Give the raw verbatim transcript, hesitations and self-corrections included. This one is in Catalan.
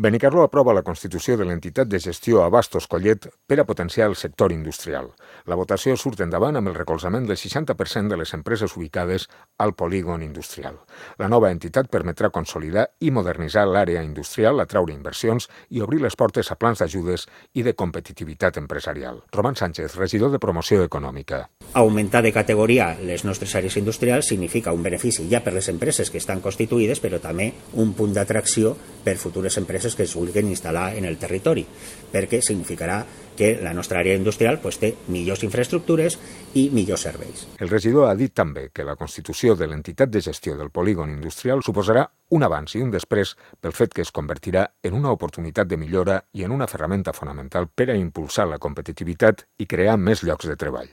Benicarló aprova la constitució de l'entitat de gestió Abastos Collet per a potenciar el sector industrial. La votació surt endavant amb el recolzament del seixanta per cent de les empreses ubicades al polígon industrial. La nova entitat permetrà consolidar i modernitzar l'àrea industrial, atraure inversions i obrir les portes a plans d'ajudes i de competitivitat empresarial. Roman Sánchez, regidor de Promoció Econòmica. Augmentar de categoria les nostres àrees industrials significa un benefici ja per les empreses que estan constituïdes, però també un punt d'atracció per futures empreses que es vulguin instal·lar en el territori, perquè significarà que la nostra àrea industrial pues, té millors infraestructures i millors serveis. El regidor ha dit també que la constitució de l'entitat de gestió del polígon industrial suposarà un abans i un després pel fet que es convertirà en una oportunitat de millora i en una ferramenta fonamental per a impulsar la competitivitat i crear més llocs de treball.